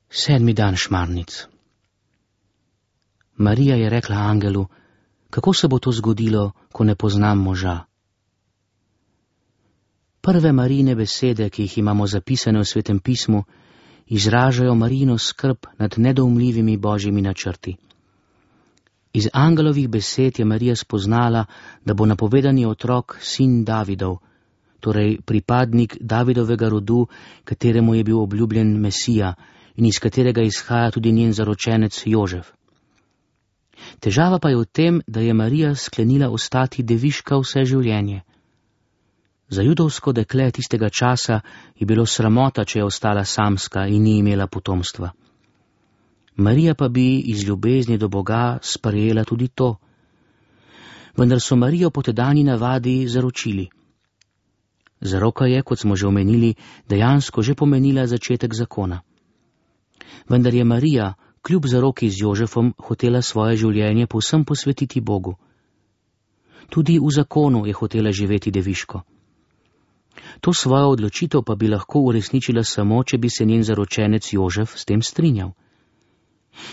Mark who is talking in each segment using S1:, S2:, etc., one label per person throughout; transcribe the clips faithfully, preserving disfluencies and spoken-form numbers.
S1: Sedmi dan šmarnic. Marija je rekla angelu, kako se bo to zgodilo, ko ne poznam moža. Prve Marijine besede, ki jih imamo zapisane v Svetem pismu, izražajo Marijino skrb nad nedoumljivimi božjimi načrti. Iz angelovih besed je Marija spoznala, da bo napovedani otrok sin Davidov, torej pripadnik Davidovega rodu, kateremu je bil obljubljen Mesija in iz katerega izhaja tudi njen zaročenec Jožef. Težava pa je v tem, da je Marija sklenila ostati deviška vse življenje. Za judovsko dekle tistega časa je bilo sramota, če je ostala samska in ni imela potomstva. Marija pa bi iz ljubezni do Boga sprejela tudi to. Vendar so Marijo po tedajni navadi zaročili. Zaroka je, kot smo že omenili, dejansko že pomenila začetek zakona. Vendar je Marija, kljub zaroki z Jožefom, hotela svoje življenje povsem posvetiti Bogu. Tudi v zakonu je hotela živeti deviško. To svojo odločitev pa bi lahko uresničila samo, če bi se njen zaročenec Jožef s tem strinjal.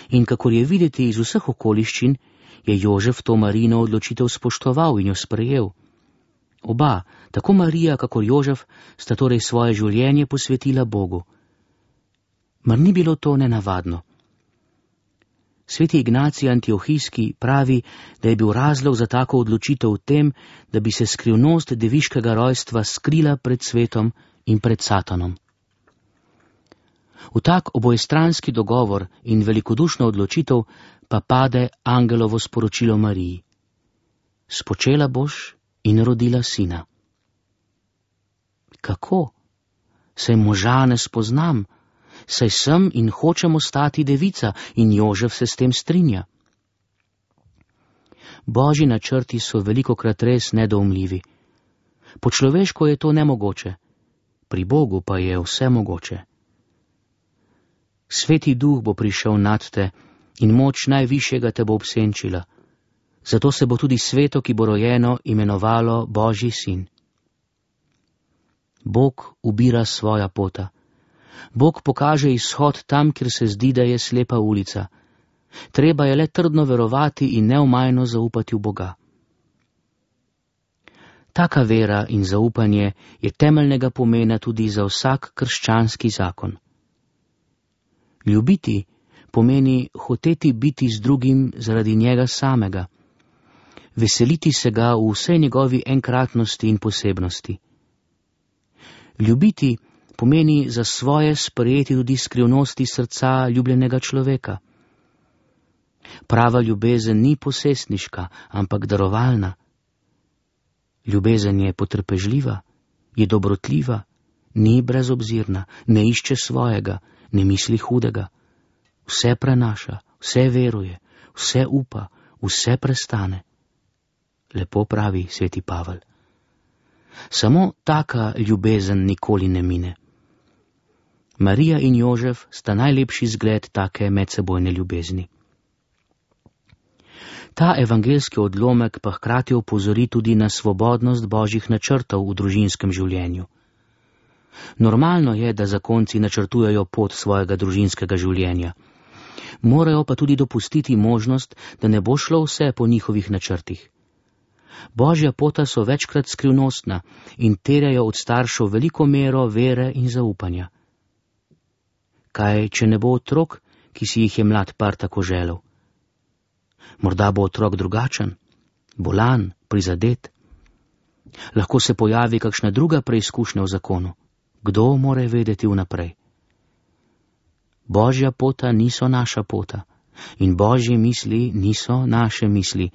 S1: In kakor je videti iz vseh okoliščin, je Jožef to Marijino odločitev spoštoval in jo sprejel. Oba, tako Marija kakor Jožef, sta torej svoje življenje posvetila Bogu. Mar ni bilo to nenavadno? Sveti Ignacij Antiohijski pravi, da je bil razlog za tako odločitev v tem, da bi se skrivnost deviškega rojstva skrila pred svetom in pred Satanom. V tak obojestranski dogovor in velikodušno odločitev pa pade angelovo sporočilo Mariji. Spočela boš in rodila sina. Kako? Saj moža ne spoznam, saj sem in hočem ostati devica in Jožef se s tem strinja. Božji načrti so velikokrat res nedoumljivi. Po človeško je to nemogoče, pri Bogu pa je vse mogoče. Sveti duh bo prišel nad te in moč najvišjega te bo obsenčila. Zato se bo tudi sveto, ki bo rojeno, imenovalo Božji sin. Bog ubira svoja pota. Bog pokaže izhod tam, kjer se zdi, da je slepa ulica. Treba je le trdno verovati in neomajno zaupati v Boga. Taka vera in zaupanje je temeljnega pomena tudi za vsak krščanski zakon. Ljubiti pomeni hoteti biti z drugim zaradi njega samega, veseliti se ga v vsej njegovi enkratnosti in posebnosti. Ljubiti pomeni za svoje sprejeti tudi skrivnosti srca ljubljenega človeka. Prava ljubezen ni posestniška, ampak darovalna. Ljubezen je potrpežljiva, je dobrotljiva, ni brezobzirna, ne išče svojega, ne misli hudega. Vse prenaša, vse veruje, vse upa, vse prestane. Lepo pravi sveti Pavel. Samo taka ljubezen nikoli ne mine. Marija in Jožef sta najlepši zgled take medsebojne ljubezni. Ta evangeljski odlomek pa hkrati opozori tudi na svobodnost božjih načrtov v družinskem življenju. Normalno je, da zakonci načrtujejo pot svojega družinskega življenja. Morajo pa tudi dopustiti možnost, da ne bo šlo vse po njihovih načrtih. Božja pota so večkrat skrivnostna in terjajo od staršev veliko mero vere in zaupanja. Kaj, če ne bo otrok, ki si jih je mlad par tako želel? Morda bo otrok drugačen, bolan, prizadet. Lahko se pojavi kakšna druga preizkušnja v zakonu. Kdo more vedeti vnaprej? Božja pota niso naša pota in Božje misli niso naše misli,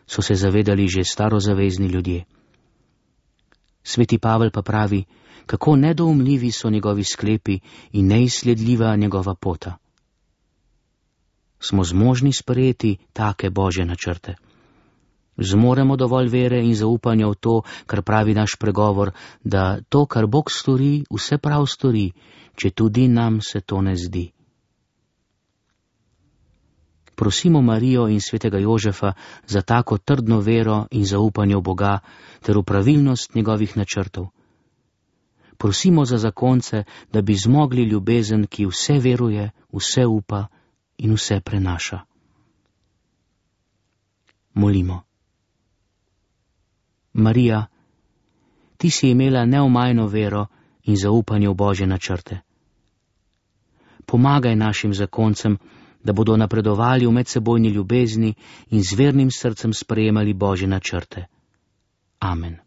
S1: so se zavedali že starozavezni ljudje. Sveti Pavel pa pravi, kako nedoumljivi so njegovi sklepi in neizsledljiva njegova pota. Smo zmožni sprejeti take Božje načrte. Zmoremo dovolj vere in zaupanja v to, kar pravi naš pregovor, da to, kar Bog stori, vse prav stori, če tudi nam se to ne zdi. Prosimo Marijo in svetega Jožefa za tako trdno vero in zaupanje v Boga ter v pravilnost njegovih načrtov. Prosimo za zakonce, da bi zmogli ljubezen, ki vse veruje, vse upa in vse prenaša. Molimo. Marija, ti si imela neomajno vero in zaupanje v Božje načrte. Pomagaj našim zakoncem, da bodo napredovali v medsebojni ljubezni in z vernim srcem sprejemali Božje načrte. Amen.